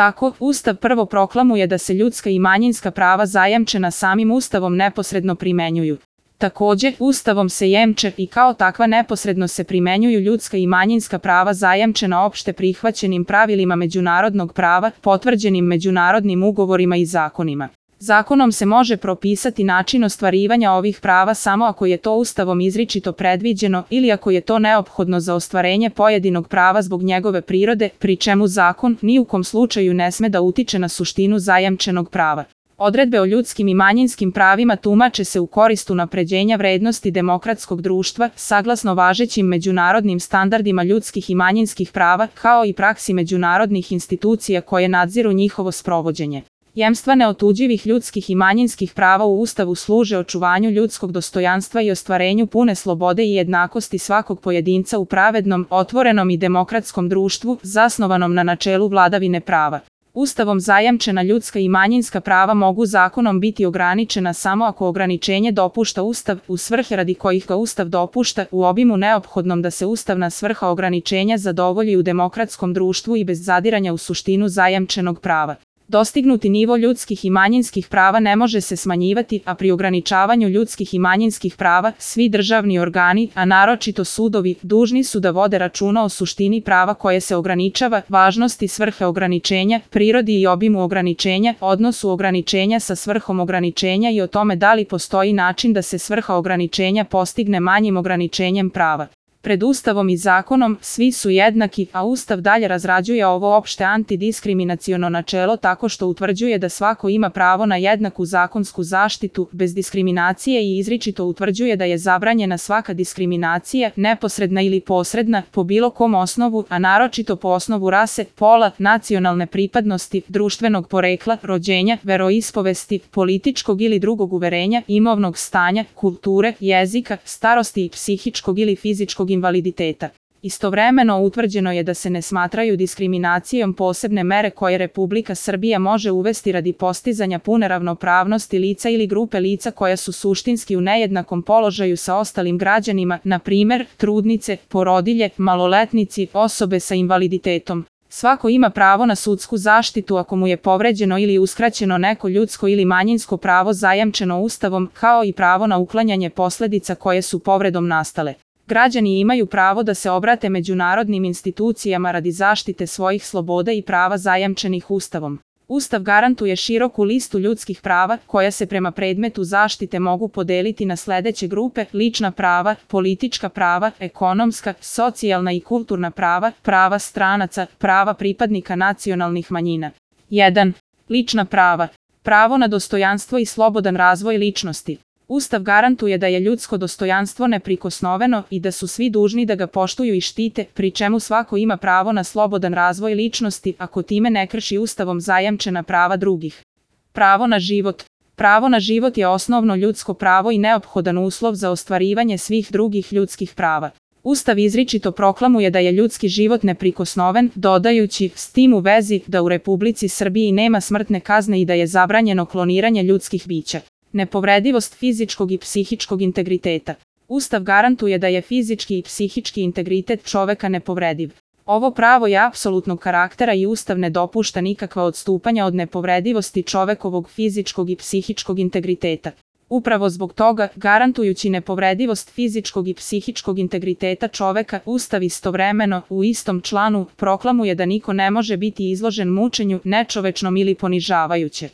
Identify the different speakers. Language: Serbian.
Speaker 1: tako, Ustav prvo proklamuje da se ljudska i manjinska prava zajamčena samim Ustavom neposredno primenjuju. Takođe, Ustavom se jemče i kao takva neposredno se primenjuju ljudska i manjinska prava zajamčena opšte prihvaćenim pravilima međunarodnog prava, potvrđenim međunarodnim ugovorima i zakonima. Zakonom se može propisati način ostvarivanja ovih prava samo ako je to Ustavom izričito predviđeno ili ako je to neophodno za ostvarenje pojedinog prava zbog njegove prirode, pri čemu zakon ni u kom slučaju ne sme da utiče na suštinu zajamčenog prava. Odredbe o ljudskim i manjinskim pravima tumače se u korist unapređenja vrednosti demokratskog društva, saglasno važećim međunarodnim standardima ljudskih i manjinskih prava, kao i praksi međunarodnih institucija koje nadziru njihovo sprovođenje. Jemstva neotuđivih ljudskih i manjinskih prava u Ustavu služe očuvanju ljudskog dostojanstva i ostvarenju pune slobode i jednakosti svakog pojedinca u pravednom, otvorenom i demokratskom društvu, zasnovanom na načelu vladavine prava. Ustavom zajamčena ljudska i manjinska prava mogu zakonom biti ograničena samo ako ograničenje dopušta Ustav u svrhe radi kojih ga Ustav dopušta, u obimu neophodnom da se ustavna svrha ograničenja zadovolji u demokratskom društvu i bez zadiranja u suštinu zajamčenog prava. Dostignuti nivo ljudskih i manjinskih prava ne može se smanjivati, a pri ograničavanju ljudskih i manjinskih prava, svi državni organi, a naročito sudovi, dužni su da vode računa o suštini prava koje se ograničava, važnosti svrhe ograničenja, prirodi i obimu ograničenja, odnosu ograničenja sa svrhom ograničenja i o tome da li postoji način da se svrha ograničenja postigne manjim ograničenjem prava. Pred Ustavom i zakonom svi su jednaki, a Ustav dalje razrađuje ovo opšte antidiskriminaciono načelo tako što utvrđuje da svako ima pravo na jednaku zakonsku zaštitu, bez diskriminacije i izričito utvrđuje da je zabranjena svaka diskriminacija, neposredna ili posredna, po bilo kom osnovu, a naročito po osnovu rase, pola, nacionalne pripadnosti, društvenog porekla, rođenja, veroispovesti, političkog ili drugog uverenja, imovnog stanja, kulture, jezika, starosti i psihičkog ili fizičkog invaliditeta. Istovremeno utvrđeno je da se ne smatraju diskriminacijom posebne mere koje Republika Srbija može uvesti radi postizanja pune ravnopravnosti lica ili grupe lica koja su suštinski u nejednakom položaju sa ostalim građanima, na primer, trudnice, porodilje, maloletnici, osobe sa invaliditetom. Svako ima pravo na sudsku zaštitu ako mu je povređeno ili uskraćeno neko ljudsko ili manjinsko pravo zajamčeno Ustavom, kao i pravo na uklanjanje posledica koje su povredom nastale. Građani imaju pravo da se obrate međunarodnim institucijama radi zaštite svojih sloboda i prava zajamčenih Ustavom. Ustav garantuje široku listu ljudskih prava, koja se prema predmetu zaštite mogu podeliti na sledeće grupe: lična prava, politička prava, ekonomska, socijalna i kulturna prava, prava stranaca, prava pripadnika nacionalnih manjina. 1. Lična prava. Pravo na dostojanstvo i slobodan razvoj ličnosti. Ustav garantuje da je ljudsko dostojanstvo neprikosnoveno i da su svi dužni da ga poštuju i štite, pri čemu svako ima pravo na slobodan razvoj ličnosti ako time ne krši Ustavom zajamčena prava drugih. Pravo na život. Pravo na život je osnovno ljudsko pravo i neophodan uslov za ostvarivanje svih drugih ljudskih prava. Ustav izričito proklamuje da je ljudski život neprikosnoven, dodajući s tim u vezi da u Republici Srbiji nema smrtne kazne i da je zabranjeno kloniranje ljudskih bića. Nepovredivost fizičkog i psihičkog integriteta. Ustav garantuje da je fizički i psihički integritet čoveka nepovrediv. Ovo pravo je apsolutnog karaktera i Ustav ne dopušta nikakva odstupanja od nepovredivosti čovekovog fizičkog i psihičkog integriteta. Upravo zbog toga, garantujući nepovredivost fizičkog i psihičkog integriteta čoveka, Ustav istovremeno, u istom članu, proklamuje da niko ne može biti izložen mučenju, nečovečnom ili ponižavajuće.